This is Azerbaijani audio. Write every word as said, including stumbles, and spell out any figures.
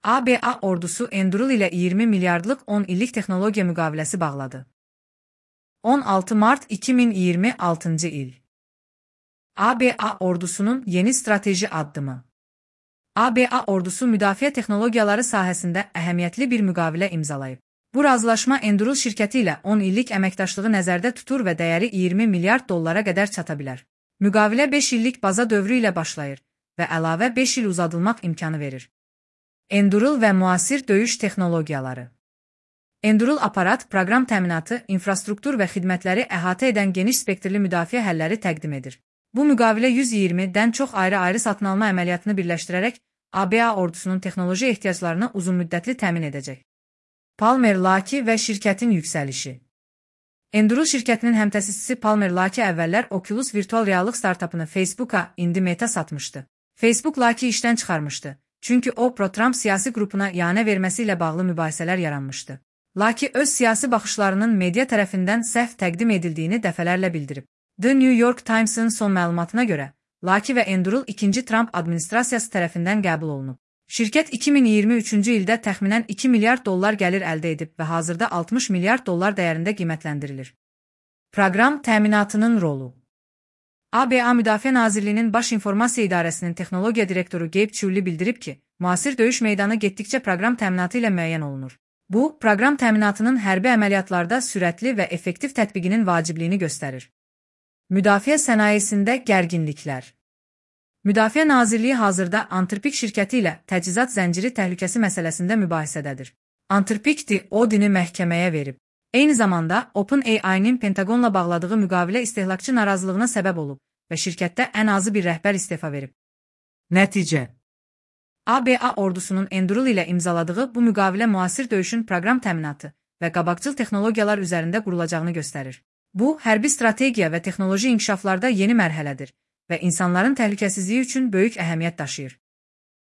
A B A ordusu Anduril ilə iyirmi milyardlıq on illik texnologiya müqaviləsi bağladı. on altı mart iki min iyirmi altıncı il. A B A ordusunun yeni strateji addımı. A B A ordusu müdafiə texnologiyaları sahəsində əhəmiyyətli bir müqavilə imzalayıb. Bu razılaşma Anduril şirkəti ilə on illik əməkdaşlığı nəzərdə tutur və dəyəri iyirmi milyard dollara qədər çata bilər. Müqavilə beş illik baza dövrü ilə başlayır və əlavə beş il uzadılmaq imkanı verir. Anduril və müasir döyüş texnologiyaları. Anduril aparat, proqram təminatı, infrastruktur və xidmətləri əhatə edən geniş spektrli müdafiə həlləri təqdim edir. Bu müqavilə yüz iyirmidən çox ayrı-ayrı satın alma əməliyyatını birləşdirərək A B A ordusunun texnoloji ehtiyaclarını uzunmüddətli təmin edəcək. Palmer Luckey və şirkətin yüksəlişi. Anduril şirkətinin həmtəsisçisi Palmer Luckey əvvəllər Oculus virtual reallıq startapını Facebook'a, indi Meta satmışdı. Facebook Luckey işdən çıxarmışdı. Çünki o, pro-Trump siyasi qrupuna ianə verməsi ilə bağlı mübahisələr yaranmışdı. Luckey öz siyasi baxışlarının media tərəfindən səhv təqdim edildiyini dəfələrlə bildirib. The New York Times'ın son məlumatına görə, Luckey və Anduril ikinci Trump administrasiyası tərəfindən qəbul olunub. Şirkət iki min iyirmi üçüncü ildə təxminən iki milyard dollar gəlir əldə edib və hazırda altmış milyard dollar dəyərində qiymətləndirilir. Proqram təminatının rolu. A B A Müdafiə Nazirliyinin Baş İnformasiya İdarəsinin texnologiya direktoru Gabe Chulli bildirib ki, müasir döyüş meydanı getdikcə proqram təminatı ilə müəyyən olunur. Bu, proqram təminatının hərbi əməliyyatlarda sürətli və effektiv tətbiqinin vacibliyini göstərir. Müdafiə sənayesində gərginliklər. Müdafiə Nazirliyi hazırda Antrpik şirkəti ilə təchizat zənciri təhlükəsi məsələsində mübahisədədir. Antrpik Odin'i məhkəməyə verib. Eyni zamanda OpenAI'nin Pentagonla bağladığı müqavilə istehlakçı narazılığına səbəb olub və şirkətdə ən azı bir rəhbər istefa verib. Nəticə. A B A ordusunun Anduril ilə imzaladığı bu müqavilə müasir döyüşün proqram təminatı və qabaqcıl texnologiyalar üzərində qurulacağını göstərir. Bu, hərbi strategiya və texnoloji inkişaflarda yeni mərhələdir və insanların təhlükəsizliyi üçün böyük əhəmiyyət daşıyır.